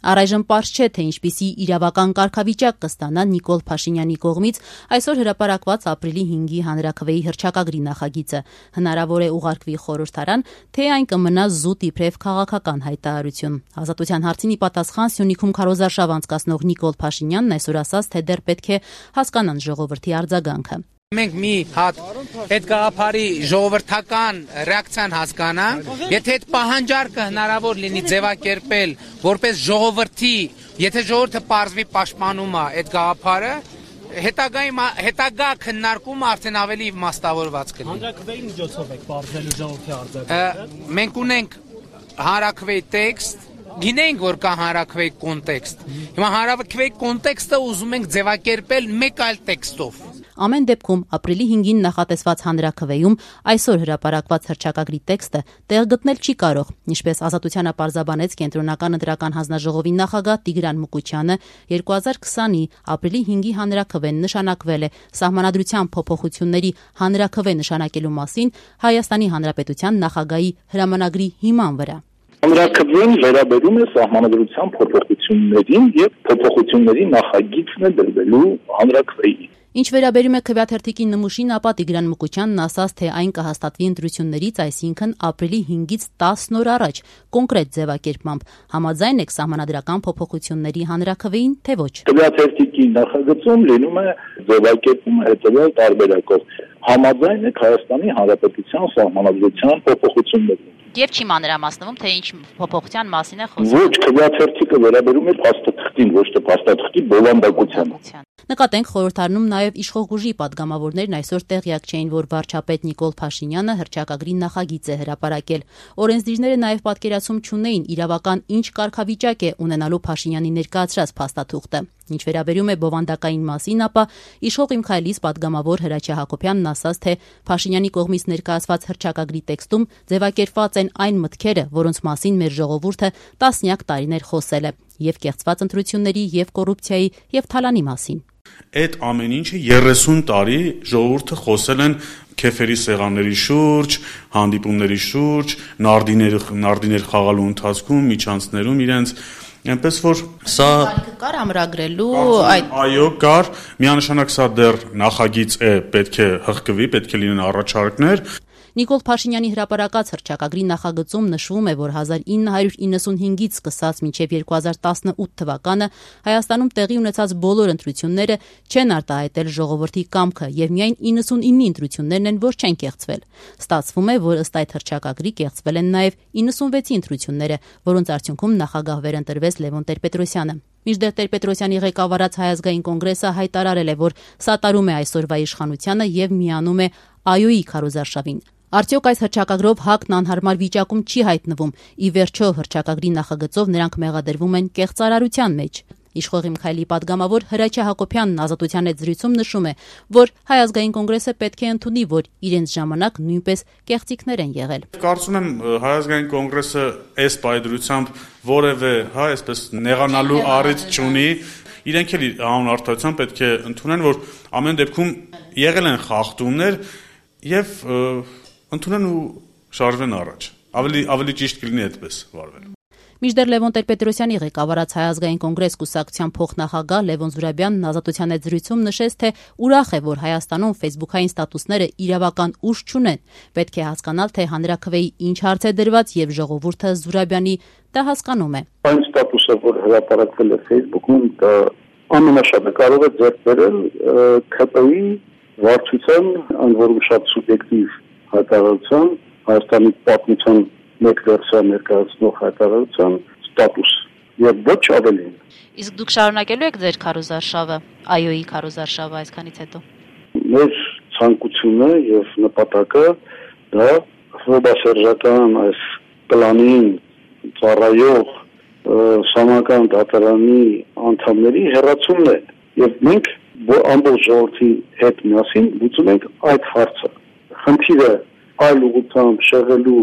Առայժմ պարզ չէ, թե ինչպիսի իրավական կարգավիճակ կստանա Նիկոլ Փաշինյանի կողմից այսօր հրապարակված ապրիլի 5-ի հանրաքվեի հռչակագրի նախագիծը։ Հնարավոր է ուղարկվի խորհրդարան, թե այն կմնա զուտ իբրև քաղաքական հայտարարություն։ Ազատության հարցին ի պատասխան Սյունիքում քարոզարշավ անցկացնող Նիկոլ Փաշինյանն այսօր ասաց, թե դեռ պետք է հասկանան ժողովրդի արձագանքը։ Մենք մի հատ այդ գաղափարի ժողովրդական ռեակցիան հասկանանք, եթե այդ պահանջարկը հնարավոր լինի ձևակերպել որպես ժողովրդի, եթե ժողովուրդը պարզվի պաշտպանում է այդ գաղափարը, հետագա քննարկումը արդեն ավելի իմաստավորված կլինի։ Հանրաքվեի միջոցով եք պարզելու ժողովրդի արձագանքը։ Մենք ունենք հանրաքվեի տեքստ, գինենք, որ կա հանրաքվեի կոնտեքստ։ Հիմա հանրաքվեի կոնտեքստը ուզում ենք ձևակերպել մեկ այլ տեքստով։ Ամեն դեպքում ապրիլի 5-ին նախատեսված հանրաքվեում այսօր հրապարակված հռչակագրի տեքստը տեղ գտնել չի կարող, ինչպես Ազատությանը պարզաբանեց Կենտրոնական ընտրական հանձնաժողովի նախագահ Տիգրան Մուկուչյանը, 2020-ի ապրիլի 5-ի հանրաքվեն նշանակվել է Սահմանադրության փոփոխությունների հանրաքվե նշանակելու մասին Հայաստանի Հանրապետության նախագահի հրամանագրի հիման վրա։ Հանրաքվեն վերաբերում է Սահմանադրության փոփոխություններին եւ փոփոխությունների նախագիծն է դրվելու հանրաքվեի։ Ինչ վերաբերում է քվեաթերթիկի նմուշին, ապա Տիգրան Մուկուչյանն ասաց, թե այն կհաստատվի ընտրություններից, այսինքն ապրիլի 5-ից 10 օր առաջ, կոնկրետ ձևակերպմամբ։ Համաձայն եք սահմանադրական փոփոխությունների հանրաքվեին, թե ոչ։ Քվեաթերթիկի նախագծում լինում է ձևակերպումը հետևյալ տարբերակով։ Համաձայն եք Հայաստանի Հանրապետության Սահմանադրության փոփոխություններին։ Եվ չի մանրամասնվում, թե ինչ փոփոխության մասին է խոսքը։ Ոչ, քվեաթերթիկը վերաբերում է փաստաթղթին, ոչ թե փաստաթղթի բովանդակությանը։ Նկատենք խորհրդարանում նաև իշխող ուժի падգամավորներն այսօր տեղյակ չէին, որ վարչապետ Նիկոլ Փաշինյանը հռչակագրի նախագիծ է հրապարակել։ Օրենսդիրները նաև պատկերացում չունեին իրավական ինչ կարգավիճակ է ունենալու Փաշինյանի ներկայացրած փաստաթուղթը։ Ինչ վերաբերում է բովանդակային մասին, ապա իշխող Իմ Քայլից падգամավոր Հրաչյա Հակոբյանն ասաց, թե Փաշինյանի կողմից ներկայացված հռչակագրի տեքստում ձևակերպված են այն մտքերը, որոնց մասին մեր ժողովուրդը տասնյակ տարիներ խոսել է, եւ կեղծված ընտրությունների, եւ կոռուպցիայի, եւ թալանի մասին։ Այդ ամեն ինչը 30 տարի ժողովուրդը խոսել են քեֆերի սեղանների շուրջ, հանդիպումների շուրջ, նարդիներ խաղալու ընթացքում, միջանցներում իրենց, այնպես որ սա կար ամրագրելու այո, կար, միանշանակ սա դեռ նախագիծ է, պետք է հղկվի, պետք է լինեն առաջարկներ։ Նիկոլ Փաշինյանի հրապարակած հռչակագրի նախագծում նշվում է, որ 1995-ից սկսած մինչև 2018 թվականը Հայաստանում տեղի ունեցած բոլոր ընտրությունները չեն արտահայտել ժողովրդի կամքը եւ միայն 99 ընտրություններն են, որ չեն կեղծվել։ Ստացվում է, որ ըստ այդ հռչակագրի կեղծվել են նաեւ 96 ընտրությունները, որոնց արդյունքում նախագահ վերընտրվեց Լևոն Տեր-Պետրոսյանը։ Մինչդեռ Տեր-Պետրոսյանի ղեկավարած Հայ ազգային կոնգրեսը հայտարարել է, որ սատարում է այսօրվա իշխանությանը եւ միանում է ԱՅՈ-ի քարոզարշավին։ Արդյոք այս հռչակագրով ՀԱԿ-ն անհարմար վիճակում չի հայտնվում։ Ի վերջո հռչակագրի նախագծով նրանք մեղադրվում են կեղծարարության մեջ։ Իշխող Իմ Քայլի падգամավոր Հրաչյա Հակոբյանն Ազատության հետ զրույցում նշում է, որ Հայ ազգային կոնգրեսը պետք է ընդունի, որ իրենց ժամանակ նույնպես կեղծիքներ են եղել։ Կարծում եմ Հայ ազգային կոնգրեսը այս պայդրությամբ որևէ, այսպես նեղանալու առիթ չունի։ Իրենք էլ անուն արդարության պետք է ընդունեն, որ ամեն դեպքում եղել են խախտումներ եւ ընդունեն ու շարժվեն առաջ։ Ավելի ճիշտ կլինի այդպես վարվել։ Մինչդեռ Լևոն Տեր-Պետրոսյանի ղեկավարած Հայ ազգային կոնգրես կուսակցության փոխնախագահ Լևոն Զուրաբյանն Ազատության հետ զրույցում նշեց, թե ուրախ է, որ Հայաստանում ֆեյսբուքային ստատուսները իրավական ուժ չունեն։ Պետք է հասկանալ, թե հանրաքվեի ինչ հարց է դրված եւ ժողովուրդը Զուրաբյանի դա հասկանում է։ Այն ստատուսը, որ հրապարակվել է Facebook-ում, դա ամենաշատը կարող է ձեռք բերել ՔՊ-ի վարչության, այն որում շատ սուբյեկտիվ հայտարարության, Հայաստանի պատմության մեկ վերսիա ներկայացնող հայտարարության ստատուս եւ ոչ ավելին։ Իսկ դուք շարունակելու եք ձեր քարոզարշավը, ԱՅՈ-ի քարոզարշավը այսքանից հետո։ Մեր ցանկությունը եւ նպատակը դա հոբասերժական այս պլանին ծառայող սահմանական դատարանի անդամների հերացումն է եւ մենք ամբողջ ժողովրդի հետ միասին լուծում ենք այդ հարցը։ Խնդիրը այլ ուղղությամբ շեղելու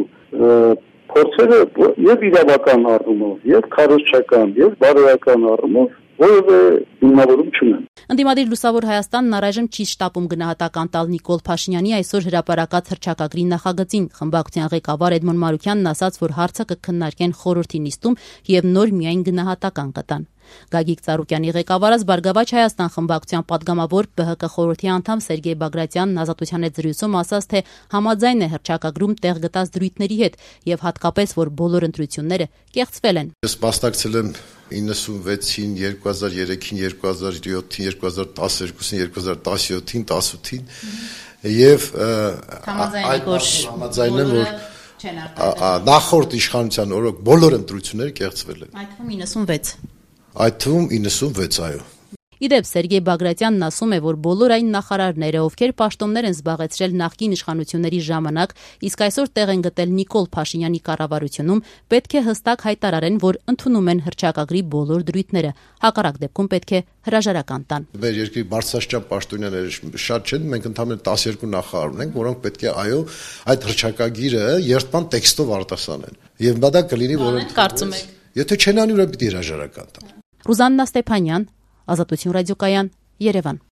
փորձերը եւ իրավական առումով, եւ քարոզչական, եւ բարոյական առումով որևէ հիմնավորում չունեն։ Ընդդիմադիր Լուսավոր Հայաստանն առայժմ չի շտապում գնահատական տալ Նիկոլ Փաշինյանի այսօր հրապարակած հռչակագրի նախագծին։ Խմբակցության ղեկավար Էդմոն Մարուկյանն ասաց, որ հարցը կքննարկեն խորհրդի նիստում եւ նոր միայն գնահատական կտան։ Գագիկ Ծառուկյանի ղեկավարած Բարգավաճ Հայաստան խմբակցության падգամավոր ԲՀԿ խորհրդի անդամ Սերգեյ Բագրատյանն Ազատության հետ զրույցում ասաց, թե համաձայն է հռչակագրում տեղ գտած դրույթների հետ եւ հատկապես, որ բոլոր ընտրությունները կեղծվել են։ Ես մասնակցել եմ 96-ին, 2003-ին, 2007-ին, 2012-ին, 2017-ին, 18-ին եւ համաձայն եմ, որ նախորդ իշխանության օրոք բոլոր ընտրությունները կեղծվել են։ Այդ թվում 96, այո։ Իդեպ Սերգեյ Բագրատյանն ասում է, որ բոլոր այն նախարարները, ովքեր պաշտոններ են զբաղեցրել նախկին իշխանությունների ժամանակ, իսկ այսօր տեղ են գտել Նիկոլ Փաշինյանի կառավարությունում, պետք է հստակ հայտարարեն, որ ընդունում են հռչակագրի բոլոր դրույթները, հակառակ դեպքում պետք է հրաժարական տան։ Մեր երկրի բարձրաստիճան պաշտոնյաները շատ չեն, մենք ընդհանրապես 12 նախարար ունենք, որոնք պետք է այո այդ հռչակագիրը երթման տեքստով արտասանեն։ Եվ դա կլինի, որ կարծում եք։ Եթե չեն անի, ուրեմն պիտի հրաժարական տան։ Ռուզաննա Ստեփանյան, Ազատություն ռադիոկայան, Երևան։